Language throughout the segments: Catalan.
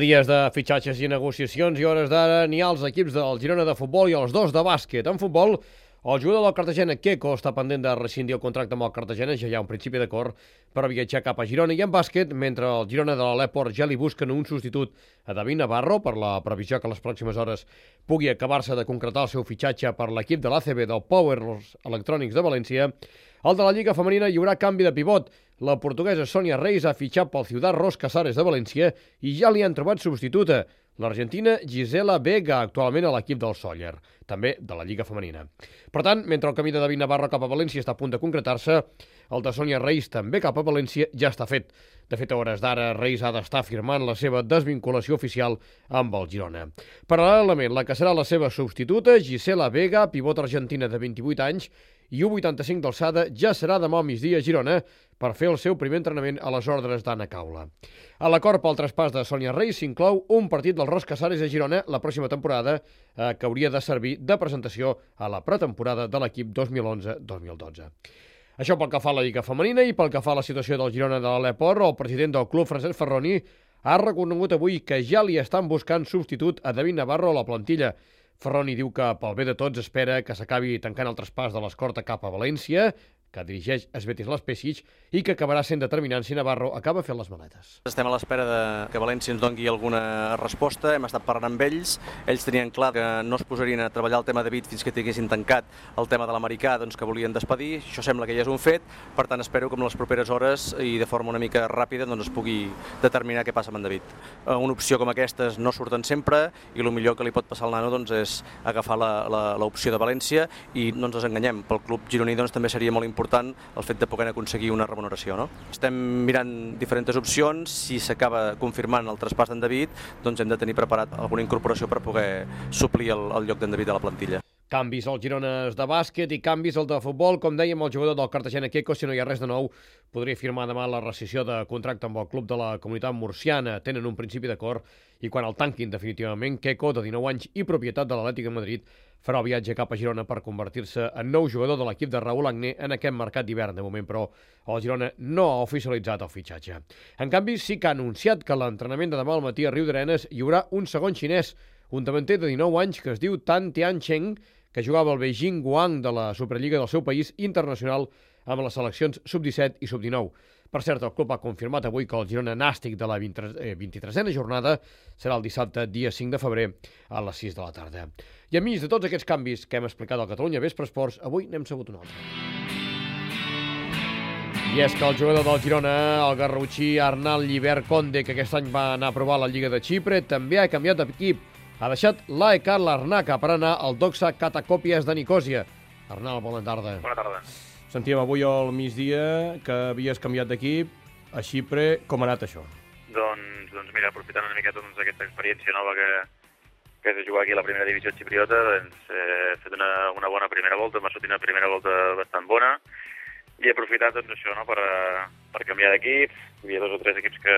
Dies de fitxatges i negociacions i hores d'ara n'hi ha als equips del Girona de futbol i els dos de bàsquet. En futbol, el jugador del Cartagena, Queco, està pendent de rescindir el contracte amb el Cartagena, ja hi ha un principi d'acord per viatjar cap a Girona. I en bàsquet, mentre el Girona de l'Aleport ja li busquen un substitut a David Navarro per la previsió que a les pròximes hores pugui acabar-se de concretar el seu fitxatge per l'equip de l'ACB del Powers Electronics de València, el de la Lliga Femenina hi haurà canvi de pivot. La portuguesa Sònia Reis ha fitxat pel Ciudad Ros Casares de València i ja li han trobat substituta, l'argentina Gisela Vega, actualment a l'equip del Sóller, també de la Lliga Femenina. Per tant, mentre el camí de David Navarro cap a València està a punt de concretar-se, el de Sònia Reis també cap a València ja està fet. De fet, a hores d'ara, Reis ha d'estar firmant la seva desvinculació oficial amb el Girona. Paral·lelament, la que serà la seva substituta, Gisela Vega, pivot argentina de 28 anys i 1,85 d'alçada, ja serà demà al migdia a Girona per fer el seu primer entrenament a les ordres d'Anna Caula. A l'acord pel traspàs de Sònia Reis s'inclou un partit del Ros Casares a Girona la pròxima temporada que hauria de servir de presentació a la pretemporada de l'equip 2011-2012. Això pel que fa a la Lliga Femenina i pel que fa a la situació del Girona de l'Aleport, el president del club, Francesc Ferroni, ha reconegut avui que ja li estan buscant substitut a David Navarro a la plantilla. Ferroni diu que pel bé de tots espera que s'acabi tancant el traspàs de l'Escorta cap a València, que dirigeix Svetis Laspesic, i que acabarà sent determinant si Navarro acaba fent les maletes. Estem a l'espera que València ens doni alguna resposta, hem estat parlant amb ells tenien clar que no es posarien a treballar el tema de David fins que tinguessin tancat el tema de l'americà, doncs que volien despedir, això sembla que ja és un fet, per tant espero que en les properes hores i de forma una mica ràpida doncs es pugui determinar què passa amb en David. Una opció com aquestes no surten sempre i el millor que li pot passar al nano doncs, és agafar l'opció de València i no ens enganyem, pel club gironí doncs, també seria molt important el fet de poder aconseguir una remuneració. No? Estem mirant diferents opcions, si s'acaba confirmant el traspàs d'en David, doncs hem de tenir preparat alguna incorporació per poder suplir el lloc d'en David a la plantilla. Canvis al Girona de bàsquet i canvis al de futbol. Com dèiem, el jugador del Cartagena, Queco, si no hi ha res de nou, podria firmar demà la rescissió de contracte amb el club de la Comunitat Murciana. Tenen un principi d'acord i quan el tanquin definitivament, Queco, de 19 anys i propietat de l'Atlètic de Madrid, farà el viatge cap a Girona per convertir-se en nou jugador de l'equip de Raúl Agné en aquest mercat d'hivern. De moment, però, el Girona no ha oficialitzat el fitxatge. En canvi, sí que ha anunciat que a l'entrenament de demà al matí a Riudarenes hi haurà un segon xinès, un davanter de 19 anys que es diu Tan Tiancheng, que jugava al Beijing Guang de la Superliga del seu país internacional amb les seleccions sub-17 i sub-19. Per cert, el club ha confirmat avui que el Girona nàstic de la 23a jornada serà el dissabte, dia 5 de febrer, a les 6 de la tarda. I enmig de tots aquests canvis que hem explicat al Catalunya Vespre Esports, avui n'hem sabut un altre. I és que el jugador del Girona, el garrotxí Arnal Llibert Conde, que aquest any va anar a provar la Lliga de Xipre, també ha canviat d'equip. Ha deixat l'AEK Larnaca per anar al Doxa Catakòpies de Nicòsia. Arnal, bona tarda. Bona tarda. Sentíem avui al migdia que havies canviat d'equip a Xipre. Com ha anat això? Doncs mira, aprofitant una miqueta aquesta experiència nova que és de jugar aquí a la primera divisió xipriota, he fet una bona primera volta, m'ha sortit una primera volta bastant bona i he aprofitat això, no, per canviar d'equip. Hi havia 2 o 3 equips que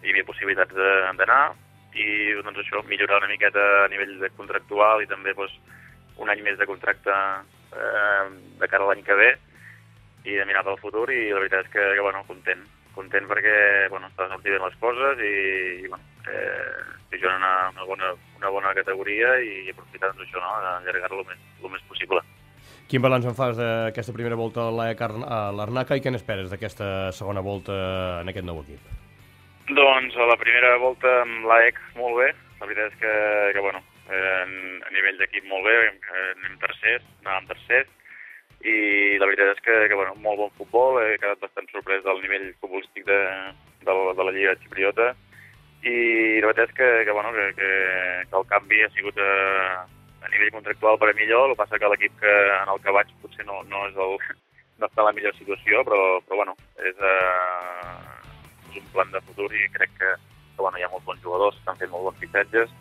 hi havia possibilitats d'anar i doncs això, millorar una miqueta a nivell contractual i també un any més de contracte de cara a l'any que ve i de mirar pel futur, i la veritat és que content perquè estan sortint bé les coses i estic jugant una bona categoria i aprofitar això, no, d'allargar-ho el més possible. Quin balanç en fas d'aquesta primera volta a l'AEK Larnaca i què n'esperes d'aquesta segona volta en aquest nou equip? Doncs a la primera volta amb l'AEK molt bé, la veritat és que a nivell d'equip molt bé, anàvem tercers, i la veritat és que molt bon futbol, he quedat bastant sorprès del nivell futbolístic de la Lliga Xipriota, i la veritat és que el canvi ha sigut a nivell contractual per a millor. El que passa que l'equip en el que vaig potser no està en la millor situació, però és un plan de futur i crec que hi ha molts bons jugadors, estan fent molt bons fitxatges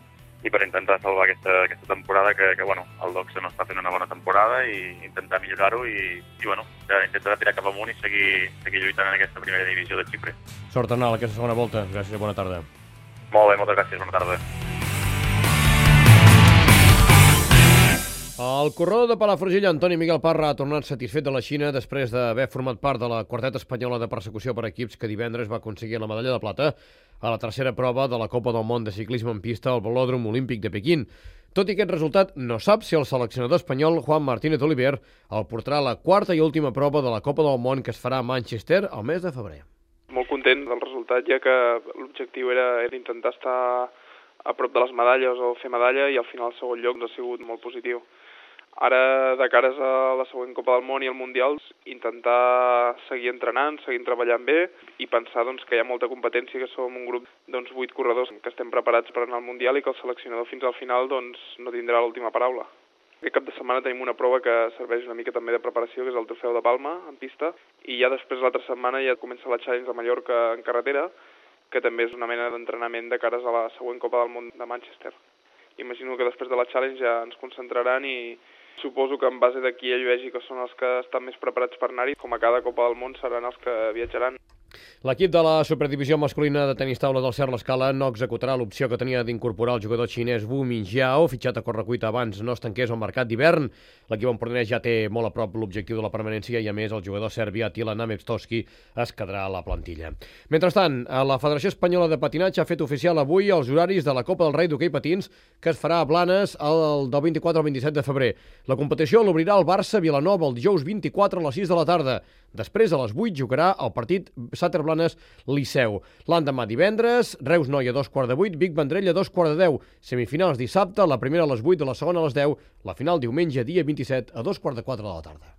i per intentar salvar aquesta temporada que el Doxa no està fent una bona temporada i intentar millorar-ho i intentar tirar cap amunt i seguir lluitant en aquesta primera divisió de Xipre. Sort, Arnal, aquesta segona volta. Gràcies i bona tarda. Molt bé, moltes gràcies, bona tarda. El corredor de Palafrugell, Antoni Miguel Parra, ha tornat satisfet de la Xina després d'haver format part de la quarteta espanyola de persecució per equips que divendres va aconseguir la medalla de plata a la tercera prova de la Copa del Món de ciclisme en pista al Velòdrom Olímpic de Pequín. Tot i aquest resultat, no sap si el seleccionador espanyol Juan Martínez Oliver el portarà a la quarta i última prova de la Copa del Món que es farà a Manchester al mes de febrer. Molt content del resultat, ja que l'objectiu era intentar estar a prop de les medalles o fer medalla, i al final el segon lloc ha sigut molt positiu. Ara, de cares a la següent Copa del Món i al Mundial, intentar seguir entrenant, seguir treballant bé i pensar que hi ha molta competència, que som un grup 8 corredors que estem preparats per anar al Mundial i que el seleccionador fins al final no tindrà l'última paraula. Aquest cap de setmana tenim una prova que serveix una mica també de preparació, que és el Trofeu de Palma en pista, i ja després l'altra setmana ja comença la Challenge de Mallorca en carretera, que també és una mena d'entrenament de cares a la següent Copa del Món de Manchester. Imagino que després de la Challenge ja ens concentraran i suposo que en base d'aquí ell vegi que són els que estan més preparats per anar-hi, com a cada Copa del Món seran els que viatjaran. L'equip de la superdivisió masculina de tenis taula del Cert l'Escala no executarà l'opció que tenia d'incorporar el jugador xinès Wu Minjiao, fitxat a correcuita abans no es tanqués el mercat d'hivern. L'equip empordanès ja té molt a prop l'objectiu de la permanència i, a més, el jugador serbi Attila Namestowski es quedarà a la plantilla. Mentrestant, la Federació Espanyola de Patinatge ha fet oficial avui els horaris de la Copa del Rei d'Hoquei Patins que es farà a Blanes del 24 al 27 de febrer. La competició l'obrirà el Barça Vilanova el dijous 24 a les 6 de la tarda. Després, a les 8, jugarà el partit Sàter Blanes-Liceu. L'endemà divendres, Reus Noia a 2:15, Vic Vendrell a 2:10. Semifinals dissabte, la primera a les 8, la segona a les 10, la final diumenge dia 27 a 2:15 de la tarda.